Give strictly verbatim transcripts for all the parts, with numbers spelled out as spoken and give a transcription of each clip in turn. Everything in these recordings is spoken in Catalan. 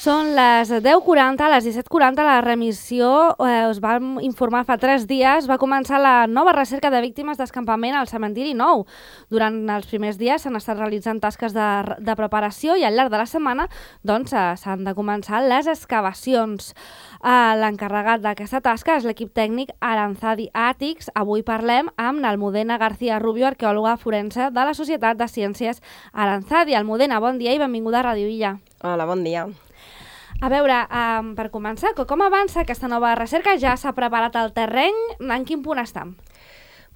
Són les deu quaranta, a les disset quaranta, la remissió, eh, us vam informar fa tres dies, va començar la nova recerca de víctimes d'escampament al cementiri nou. Durant els primers dies s'han estat realitzant tasques de, de preparació i al llarg de la setmana doncs, s'han de començar les excavacions. Eh, L'encarregat d'aquesta tasca és l'equip tècnic Aranzadi Àtics. Avui parlem amb l'Almudena García Rubio, arqueòloga forense de la Societat de Ciències Aranzadi. Almudena, bon dia i benvinguda a Ràdio Illa. Hola, bon dia. A veure, um, per començar, com avança aquesta nova recerca? Ja s'ha preparat el terreny? En quin punt estem?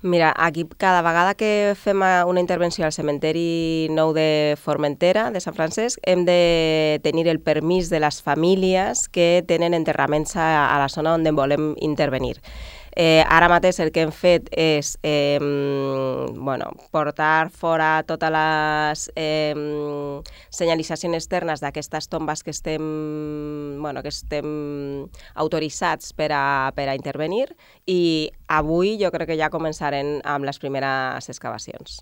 Mira, aquí cada vegada que fem una intervenció al cementeri nou de Formentera, de Sant Francesc, hem de tenir el permís de les famílies que tenen enterraments a, a la zona on volem intervenir. Eh, ara mateix el que hem fet és eh, bueno, portar fora totes les eh, senyalitzacions externes d'aquestes tombes que estem, bueno, que estem autoritzats per a, per a intervenir, i avui jo crec que ja començarem amb les primeres excavacions.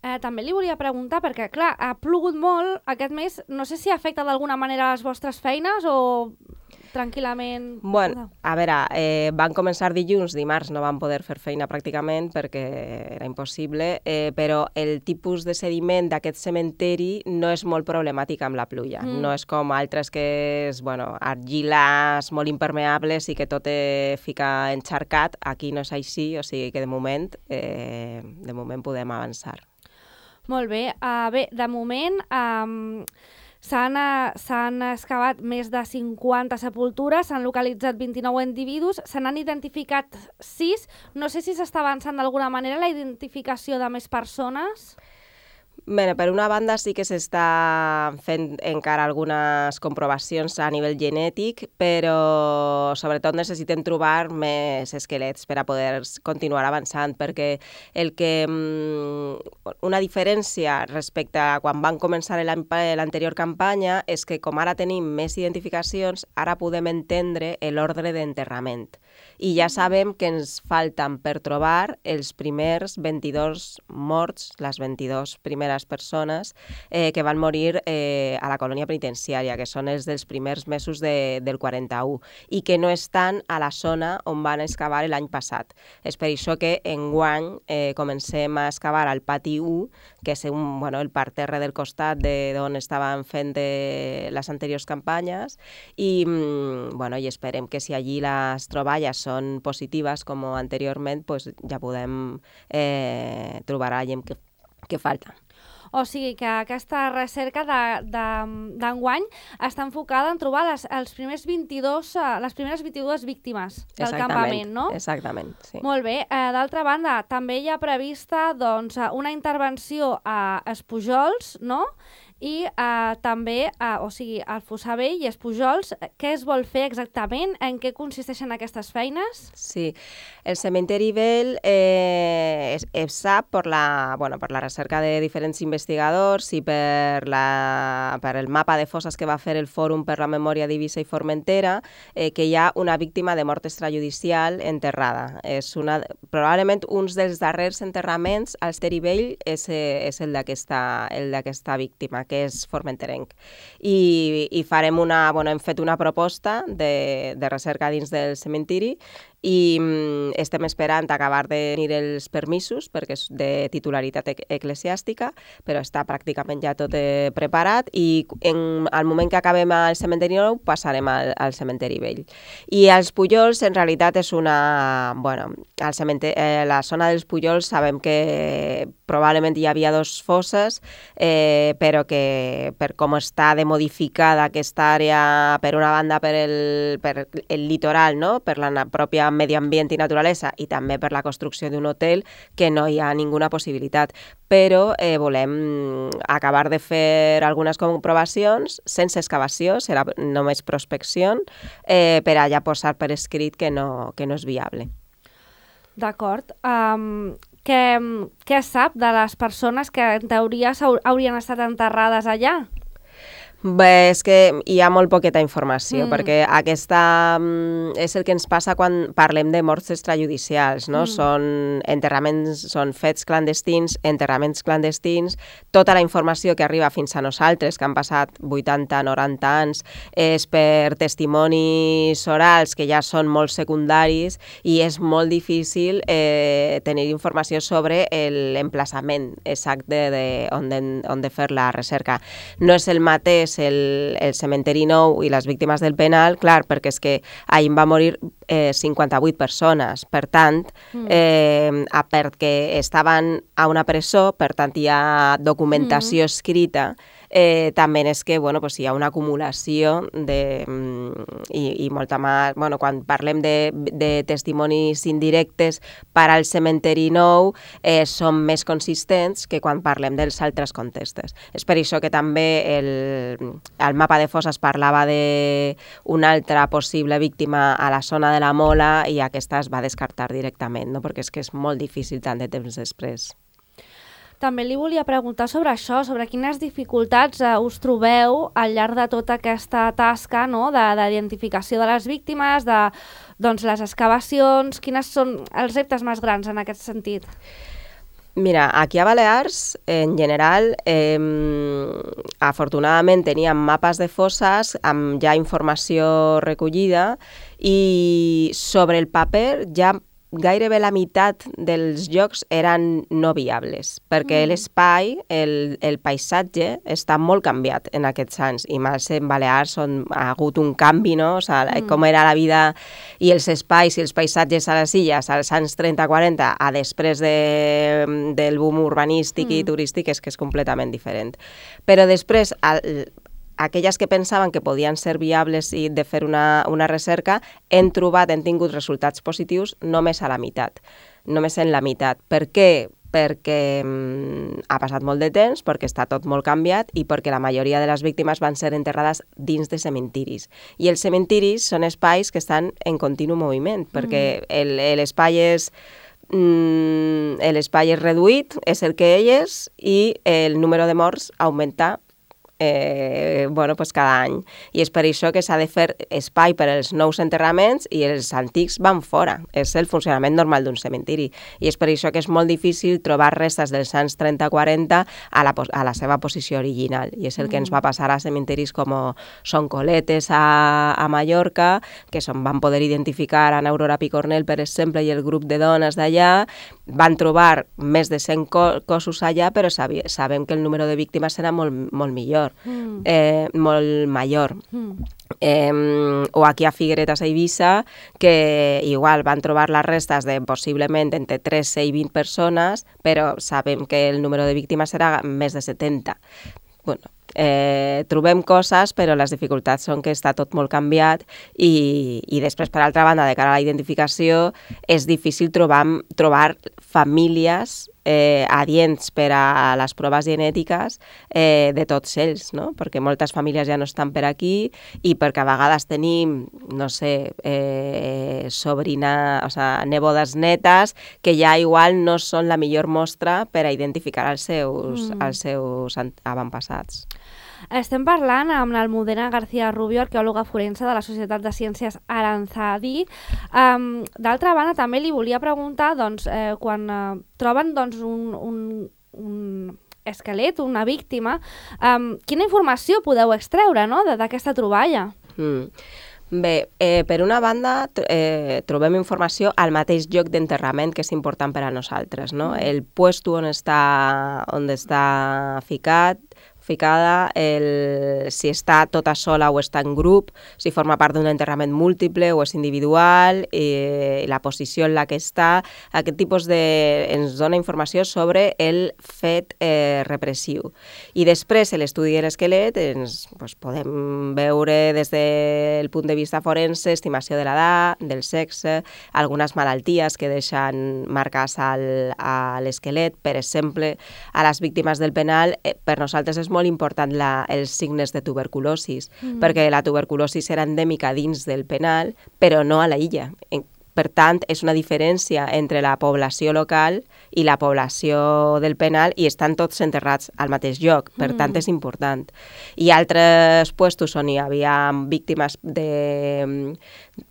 Eh, també li volia preguntar, perquè clar, ha plogut molt aquest mes, no sé si afecta d'alguna manera les vostres feines o tranquil·lament... Bueno, a veure, eh, van començar dilluns, dimarts no van poder fer feina pràcticament perquè era impossible, eh, però el tipus de sediment d'aquest cementeri no és molt problemàtic amb la pluja. Mm. No és com altres que és, bueno, argiles molt impermeables i que tot eh, fica encharcat. Aquí no és així, o sigui que de moment, eh, de moment podem avançar. Molt bé. Uh, bé, de moment... Um... S'han, s'han excavat més de cinquanta sepultures, s'han localitzat vint-i-nou individus, se n'han identificat sis. No sé si s'està avançant d'alguna manera la identificació de més persones. Bé, per una banda sí que s'està fent encara algunes comprovacions a nivell genètic, però sobretot necessitem trobar més esquelets per a poder continuar avançant, perquè el que, una diferència respecte a quan van començar l'anterior campanya és que com ara tenim més identificacions, ara podem entendre l'ordre d'enterrament. I ja sabem que ens falten per trobar els primers vint-i-dos morts, les vint-i-dos primeres persones eh, que van morir eh, a la colònia penitenciària, que són els dels primers mesos de, del quaranta-u, i que no estan a la zona on van excavar l'any passat. És per això que enguany eh, comencem a excavar al pati u, que és un, bueno, el parterre del costat d'on estaven fent de les anteriors campanyes, i, bueno, i esperem que si allí les troballes són positives com anteriorment, pues ja podem eh, trobar la gent que, que falta. O sigui que aquesta recerca d'enguany està enfocada en trobar les, els primers vint-i-dos, les primeres vint-i-dues víctimes del campament, no? Exactament, sí. Molt bé. Eh, D'altra banda, també hi ha prevista doncs, una intervenció a Espujols, no? I eh, també, eh, o sigui, al Fossar Vell i Espujols, què es vol fer exactament? En què consisteixen aquestes feines? Sí, el cementeri vell eh, es, es sap per la, bueno, per la recerca de diferents investigadors i per, la, per el mapa de fosses que va fer el Fòrum per la Memòria d'Eivissa i Formentera, eh, que hi ha una víctima de mort extrajudicial enterrada. És una, probablement un dels darrers enterraments al cementeri vell és, és el d'aquesta víctima, que és formenterenc. I, i farem una, bueno, hem fet una proposta de, de recerca dins del cementiri i mm, estem esperant acabar de tenir els permisos perquè és de titularitat eclesiàstica, però està pràcticament ja tot eh, preparat, i en, al moment que acabem al cementeri nou passarem al, al cementeri vell. I els Pujols en realitat és una... Bueno, al cementeri, eh, la zona dels Pujols sabem que probablement hi havia dos fosses, eh, però que per com està de modificada aquesta àrea, per una banda per el, per el litoral, no? Per la pròpia medi ambient i naturalesa, i també per la construcció d'un hotel, que no hi ha ninguna possibilitat. Però eh, volem acabar de fer algunes comprovacions sense excavació, serà només prospecció, eh, per allà posar per escrit que no, que no és viable. D'acord. Um, què, què sap de les persones que en teoria haurien estat enterrades allà? Bé, és que hi ha molt poqueta informació, Mm. perquè aquesta mm, és el que ens passa quan parlem de morts extrajudicials, no? Mm. Són enterraments, són fets clandestins, enterraments clandestins, tota la informació que arriba fins a nosaltres, que han passat vuitanta noranta anys, és per testimonis orals que ja són molt secundaris i és molt difícil eh, tenir informació sobre l'emplaçament exacte de, on, de, on de fer la recerca. No és el mateix el, el cementeri nou i les víctimes del penal, clar, perquè és que ahir va morir eh, cinquanta-vuit persones, per tant, mm. eh, a, perquè estaven a una presó, per tant hi ha documentació mm. escrita, eh, també és que bueno, pues hi ha una acumulació de, i, i molta més, bueno, quan parlem de, de testimonis indirectes per al cementeri nou, eh, són més consistents que quan parlem dels altres contextes. És per això que també el al mapa de fosses parlava d'una altra possible víctima a la zona de la Mola i aquesta es va descartar directament, no? Perquè és que és molt difícil tant de temps després. També li volia preguntar sobre això, sobre quines dificultats eh, us trobeu al llarg de tota aquesta tasca, no? d'identificació de, de les víctimes, de doncs, les excavacions, quines són els reptes més grans en aquest sentit? Mira, aquí a Balears, en general, eh, afortunadament teníem mapes de fosses amb ja informació recollida i sobre el paper ja gairebé la meitat dels llocs eren no viables, perquè mm. l'espai, el, el paisatge, està molt canviat en aquests anys, i més en Balears on ha hagut un canvi, no? O sigui, mm. com era la vida i els espais i els paisatges a les illes als anys trenta quaranta a després de, del boom urbanístic mm. i turístic és que és completament diferent. Però després, al, aquelles que pensaven que podien ser viables i de fer una, una recerca, hem trobat, hem tingut resultats positius només a la meitat, només en la meitat. Per què? Perquè mm, ha passat molt de temps, perquè està tot molt canviat i perquè la majoria de les víctimes van ser enterrades dins de cementiris. I els cementiris són espais que estan en continu moviment, perquè mm. l'espai és... l'espai és reduït, és el que ell és, i el número de morts augmenta Eh, bueno, pues cada any. I és per això que s'ha de fer espai per als nous enterraments i els antics van fora. És el funcionament normal d'un cementiri. I és per això que és molt difícil trobar restes dels anys trenta quaranta a la, a la seva posició original. I és el que ens va passar a cementiris com Son Coletes a, a Mallorca, que son, van poder identificar a Aurora Picornell, per exemple, i el grup de dones d'allà. Van trobar més de cent cossos allà, però sabem que el número de víctimes serà molt, molt millor. Mm. Eh, molt major. Mm. Eh, o aquí a Figueretes a Eivissa, que igual van trobar les restes de possiblement entre tretze i vint persones, però sabem que el número de víctimes serà més de setanta. Bueno, eh, trobem coses, però les dificultats són que està tot molt canviat i, i després, per altra banda, de cara a la identificació, és difícil trobar, trobar famílies eh, adients per a les proves genètiques eh, de tots ells, no? Perquè moltes famílies ja no estan per aquí i perquè a vegades tenim, no sé, eh, sobrina, o sigui, nebodes netes que ja igual no són la millor mostra per a identificar els seus, mm. els seus avantpassats. Estem parlant amb l'Almudena García Rubio, arqueòloga forense de la Societat de Ciències Aranzadi. Um, D'altra banda, també li volia preguntar, doncs, eh, quan eh, troben doncs, un, un, un esquelet, una víctima, um, quina informació podeu extreure, no?, d'aquesta troballa? Mm. Bé, eh, per una banda eh, trobem informació al mateix lloc d'enterrament, que és important per a nosaltres, no? El puesto on està, on està ficat, ficada, el, si està tota sola o està en grup, si forma part d'un enterrament múltiple o és individual, i la posició en la que està, aquest tipus de... ens dona informació sobre el fet eh, repressiu. I després, l'estudi de l'esquelet, ens pues, podem veure des del punt de vista forense, estimació de l'edat, del sexe, algunes malalties que deixen marques al, a l'esquelet, per exemple, a les víctimes del penal, eh, per nosaltres és molt important la, els signes de tuberculosis, mm. perquè la tuberculosis era endèmica dins del penal, però no a la illa. En, per tant, és una diferència entre la població local i la població del penal i estan tots enterrats al mateix lloc. Per mm. tant, és important. I altres puestos on hi havia víctimes de,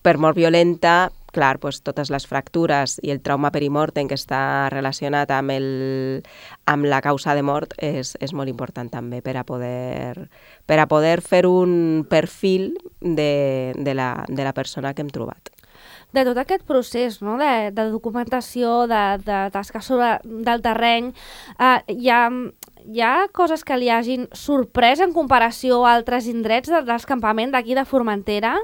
per mort violenta, clar, pues, totes les fractures i el trauma perimortem que està relacionat amb, el, amb la causa de mort és, és molt important també per a poder, per a poder fer un perfil de, de, la, de la persona que hem trobat. De tot aquest procés, no? de, de documentació, de, de tasca sobre del terreny, eh, hi, ha, hi ha coses que li hagin sorprès en comparació a altres indrets de, d'escampament d'aquí de Formentera?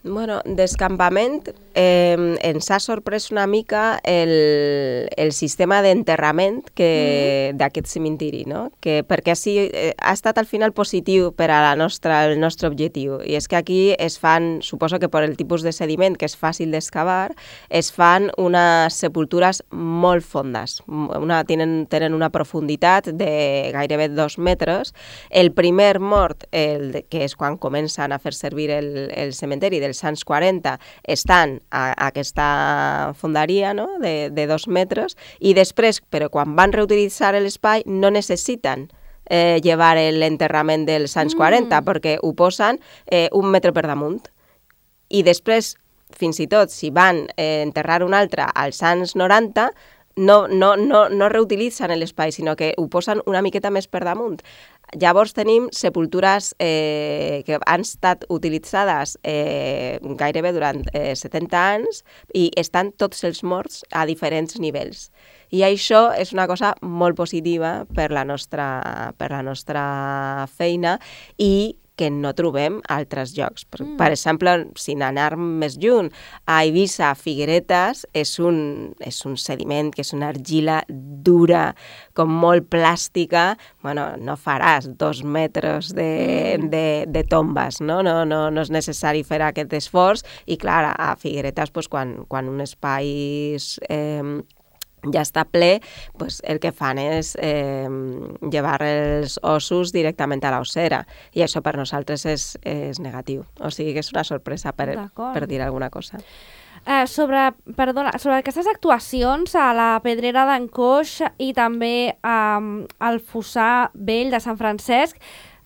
Bueno, d'escampament eh, ens ha sorprès una mica el, el sistema d'enterrament que, mm. d'aquest cementiri, no? Que, perquè sí, eh, ha estat al final positiu per a la nostra, el nostre objectiu. I és que aquí es fan, suposo que per el tipus de sediment que és fàcil d'excavar, es fan unes sepultures molt fondes. Una, tenen, tenen una profunditat de gairebé dos metres. El primer mort, el, que és quan comencen a fer servir el, el cementeri del dels anys quaranta estan a, a aquesta fonderia, no? de, de dos metres i després, però quan van reutilitzar l'espai no necessiten eh, llevar l'enterrament dels anys quaranta mm. perquè ho posen eh, un metre per damunt. I després, fins i tot, si van eh, enterrar un altre als anys noranta, no, no, no, no reutilitzen l'espai, sinó que ho posen una miqueta més per damunt. Llavors tenim sepultures eh, que han estat utilitzades eh, gairebé durant eh, setanta anys i estan tots els morts a diferents nivells. I això és una cosa molt positiva per la nostra, per la nostra feina i que no trobem a altres llocs. Per, mm. per exemple, sin anar més lluny, a Eivissa, Figueretes, és un, és un sediment que és una argila dura, com molt plàstica. Bueno, no faràs dos metres de, mm. de, de tombes, no? No, no? No és necessari fer aquest esforç. I clar, a Figueretes, pues, quan, quan un espai eh, ja està ple, pues el que fan és eh, llevar els ossos directament a l'ossera i això per nosaltres és, és negatiu. O sigui que és una sorpresa per, per dir alguna cosa. Eh, sobre, perdona, sobre aquestes actuacions a la Pedrera d'en Coix i també eh, al Fossar Vell de Sant Francesc,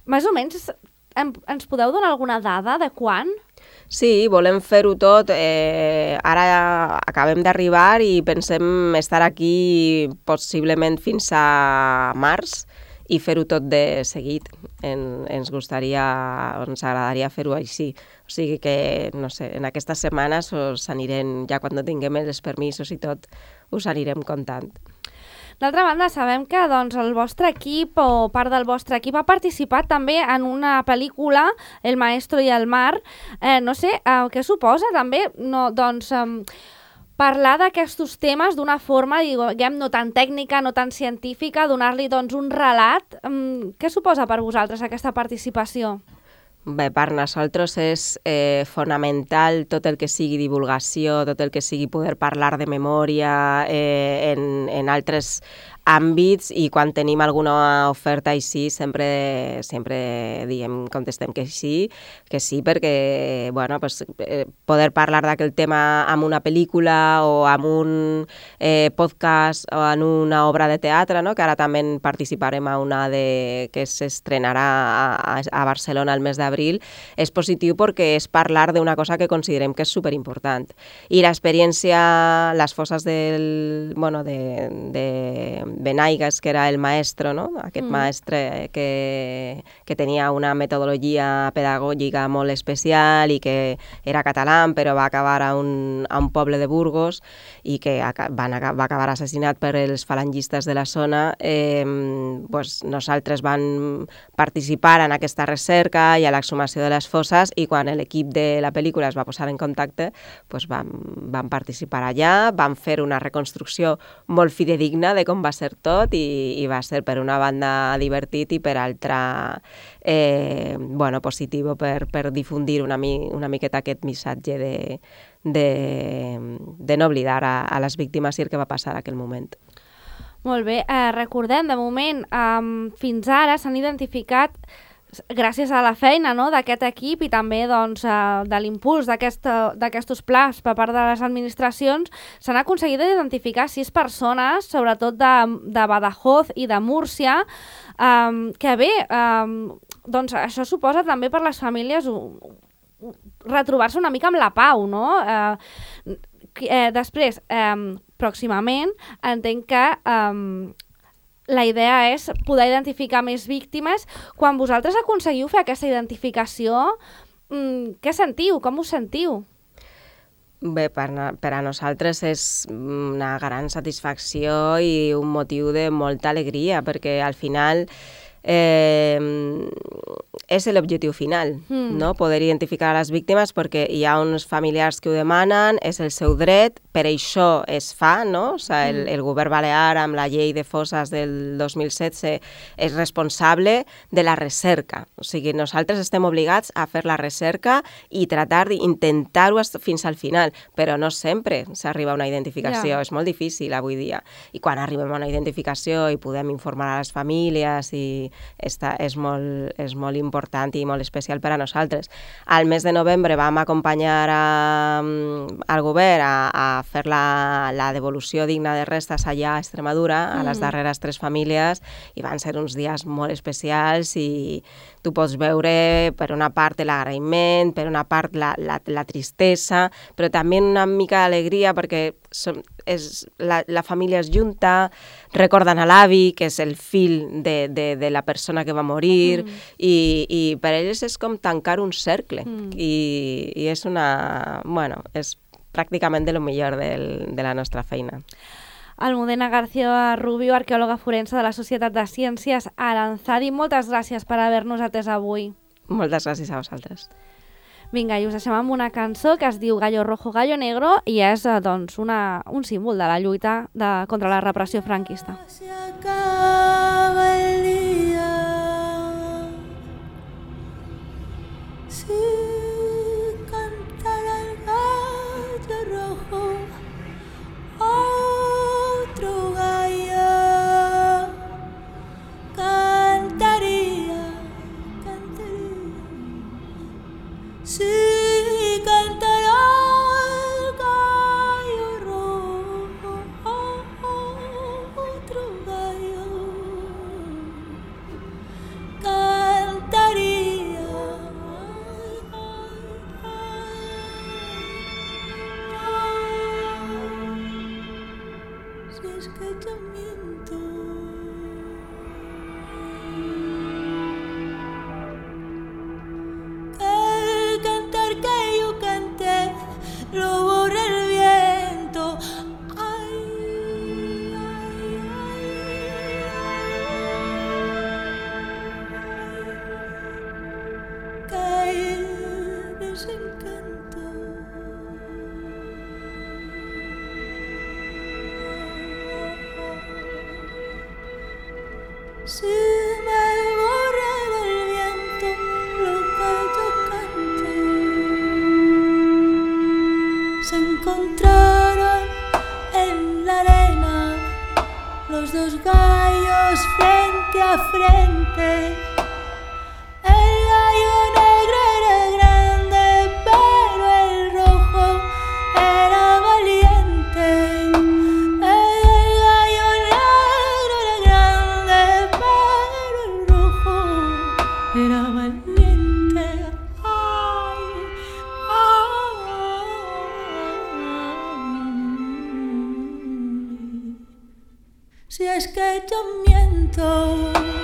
més o menys em, ens podeu donar alguna dada de quan? Sí, volem fer-ho tot. Eh, ara acabem d'arribar i pensem estar aquí possiblement fins a març i fer-ho tot de seguit. En, ens gustaria, ens agradaria fer-ho així. O sigui que, no sé, en aquestes setmanes us anirem, ja quan tinguem els permisos i tot, us anirem contant. D'altra banda, sabem que doncs, el vostre equip o part del vostre equip ha participat també en una pel·lícula, El maestro i el mar. Eh, no sé, eh, què suposa també no, doncs, eh, parlar d'aquests temes d'una forma, diguem, no tan tècnica, no tan científica, donar-li doncs, un relat. Eh, què suposa per vosaltres aquesta participació? Bé, per nosaltres és eh, fonamental tot el que sigui divulgació, tot el que sigui poder parlar de memòria eh, en, en altres àmbits i quan tenim alguna oferta així sempre, sempre diem, contestem que sí, que sí perquè bueno, pues, eh, poder parlar d'aquell tema amb una pel·lícula o amb un eh, podcast o en una obra de teatre, no? Que ara també participarem a una de, que s'estrenarà a, a Barcelona el mes d'abril, és positiu perquè és parlar d'una cosa que considerem que és superimportant. I l'experiència, les fosses del, bueno, de, de Benaigas, que era el maestro, no? Aquest mm. maestre que, que tenia una metodologia pedagògica molt especial i que era català, però va acabar a un, a un poble de Burgos i que van, va acabar assassinat per els falangistes de la zona. Eh, pues nosaltres vam participar en aquesta recerca i a l'exhumació de les fosses i quan l'equip de la pel·lícula es va posar en contacte pues vam, vam participar allà, vam fer una reconstrucció molt fidedigna de com va ser tot i, i va ser per una banda divertit i per altra eh, bueno, positiu per, per difundir una, mi, una miqueta aquest missatge de, de, de no oblidar a, a les víctimes i el que va passar en aquell moment. Molt bé, eh, recordem, de moment, eh, fins ara s'han identificat gràcies a la feina, no?, d'aquest equip i també doncs, uh, de l'impuls d'aquests plans per part de les administracions, s'han aconseguit identificar sis persones, sobretot de, de Badajoz i de Múrcia, um, que bé, um, doncs això suposa també per les famílies uh, retrobar-se una mica amb la pau, no? Uh, eh, després, um, pròximament, entenc que um, la idea és poder identificar més víctimes. Quan vosaltres aconseguiu fer aquesta identificació, mmm, què sentiu? Com us sentiu? Bé, per, per a nosaltres és una gran satisfacció i un motiu de molta alegria, perquè al final eh, és l'objectiu final, mm. no? Poder identificar les víctimes, perquè hi ha uns familiars que ho demanen, és el seu dret, per això es fa, no? O sigui, el, el govern balear, amb la llei de fosses del dos mil setze, és responsable de la recerca. O sigui, nosaltres estem obligats a fer la recerca i tratar d'intentar-ho fins al final, però no sempre s'arriba a una identificació, yeah. És molt difícil avui dia. I quan arribem a una identificació i podem informar a les famílies, i esta és, molt, és molt important i molt especial per a nosaltres. Al mes de novembre vam acompanyar a, al govern a, a fer la, la devolució digna de restes allà a Extremadura, a les darreres tres famílies, i van ser uns dies molt especials i tu pots veure per una part l'agraïment, per una part la, la, la tristesa, però també una mica d'alegria perquè som, és, la, la família es junta, recorden a l'avi, que és el fill de, de, de la persona que va morir, mm. i, i per ells és com tancar un cercle, mm. i, i és una... bueno, és pràcticament de lo millor del, de la nostra feina. Almudena García Rubio, arqueòloga forense de la Societat de Ciències Aranzadi, moltes gràcies per haver-nos atès avui. Moltes gràcies a vosaltres. Vinga, i us deixem amb una cançó que es diu Gallo Rojo, Gallo Negro i és doncs, una, un símbol de la lluita de, contra la repressió franquista. Se acaba el día, si cantara el gallo rojo, otro gallo cantaría, cantaría. Si cantara el gallo rojo, otro gallo cantaría. Si es que yo miento, el cantar que yo canté lo borra el viento. Ay, ay, ay, qué desencanto. Si me borrara el viento lo que yo canté, se encontraron en la arena los dos gallos frente a frente. El gallo negro era grande, pero el rojo era valiente. El gallo negro era grande, pero el rojo era valiente. Ay, ay. Si es que yo miento.